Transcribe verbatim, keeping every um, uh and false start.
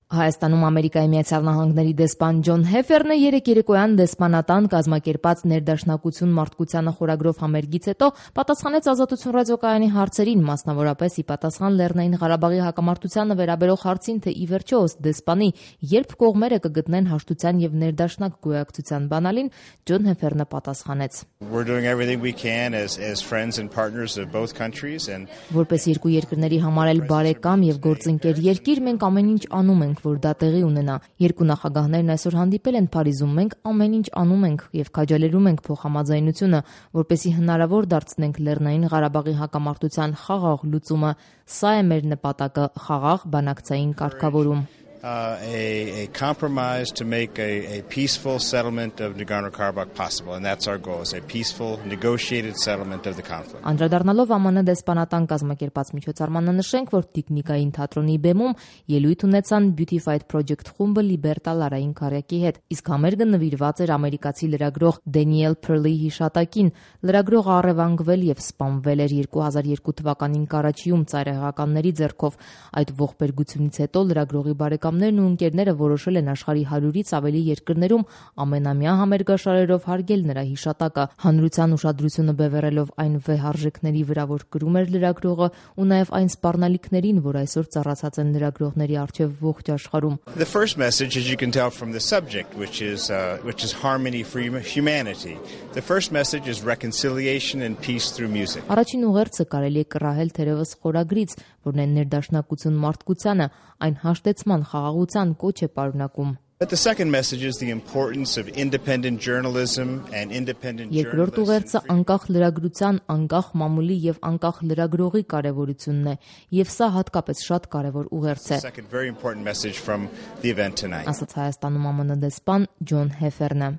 Հայաստանում Ամերիկայի Միացյալ Նահանգների դեսպան Ջոն Հեֆերնը երեկ երեկոյան դեսպանատան կազմակերպած ներդաշնակություն մարդկությանը խորագրով համերգից հետո պատասխանեց Ազատություն ռադիոկայանի հարցերին, մասնավորապես ի պատասխան Լեռնային Ղարաբաղի հակամարտությանը վերաբերող հարցին, թե ի վերջո ըստ դեսպանի երբ կողմերը կգտնեն հաշտության եւ ներդաշնակ գոյակցության բանալին, Ջոն Հեֆերնը պատասխանեց. Որպես երկու երկրների համար էլ բարեկամ եւ գործընկեր երկիր, մենք ամեն ինչ անում ենք, որ դա տեղի ունենա։ Երկու նախագահներն այսօր հանդիպել են Փարիզում, մենք ամեն ինչ անում ենք եւ քաջալերում ենք փոխհամաձայնությունը, որպեսզի հնարավոր դարձնենք Լեռնային Ղարաբաղի հակամարտության խաղաղ լուծումը։ Սա է մեր նպատակը՝ խաղաղ բանակցային կարգավորում։ Uh, a, a compromise to make a, a peaceful settlement of Nagorno-Karabakh possible, and that's our goal, is a peaceful, negotiated settlement of the conflict. Անդրադառնալով ԱՄՆ դեսպանատան կազմակերպած միջոցառմանը նշենք, որ Տիկնիկային թատրոնի բեմում ելույթ ունեցան Beautified Project խումբը Լիբերտա Լարային քարյակի հետ, իսկ համերգը նվիրված էր ամերիկացի լրագրող Դենիել Փըրլի հիշատակին։ Լրագրողը առևանգվել եւ սպանվել էր երկու հազար երկու թվականին Կարաչիում ծայրահեղականների ձեռքով։ Այդ ողբերգությունից հետո լրագրողի բարեկամներն ու ընկերները որոշել են աշխարհի հարյուրից ավելի երկրներում ամենամյա համերգաշարերով հարգել նրա հիշատակը։ Հանրության ուշադրությունը բևեռելով այն վեհարժեքների վրա, որ կրում էր լրագրողը, ու նաև այն սպառնալիքներին, որ այսօր ծառացած են լրագրողների առջև ողջ աշխարհում։ The first message, as you can tell from the subject, which is uh, which is harmony for humanity. The first message is reconciliation and peace through music. Առաջին ուղերձը կարելի է կռահել թերևս խորագրից, որն է ներդաշնակություն մարդկությանը, այն հաշտեցման խաղաղության կոչ է պարունակում։ But the second message is the importance of independent journalism and independent journalists. Երկրորդ ուղերձը անկախ լրագրության, անկախ մամուլի եւ անկախ լրագրողի կարեւորությունն է, եւ սա հատկապես շատ կարեւոր ուղերձ է։ Second very important message from the event tonight. Ասաց Հայաստանում ԱՄՆ դեսպան Ջոն Հեֆերնը։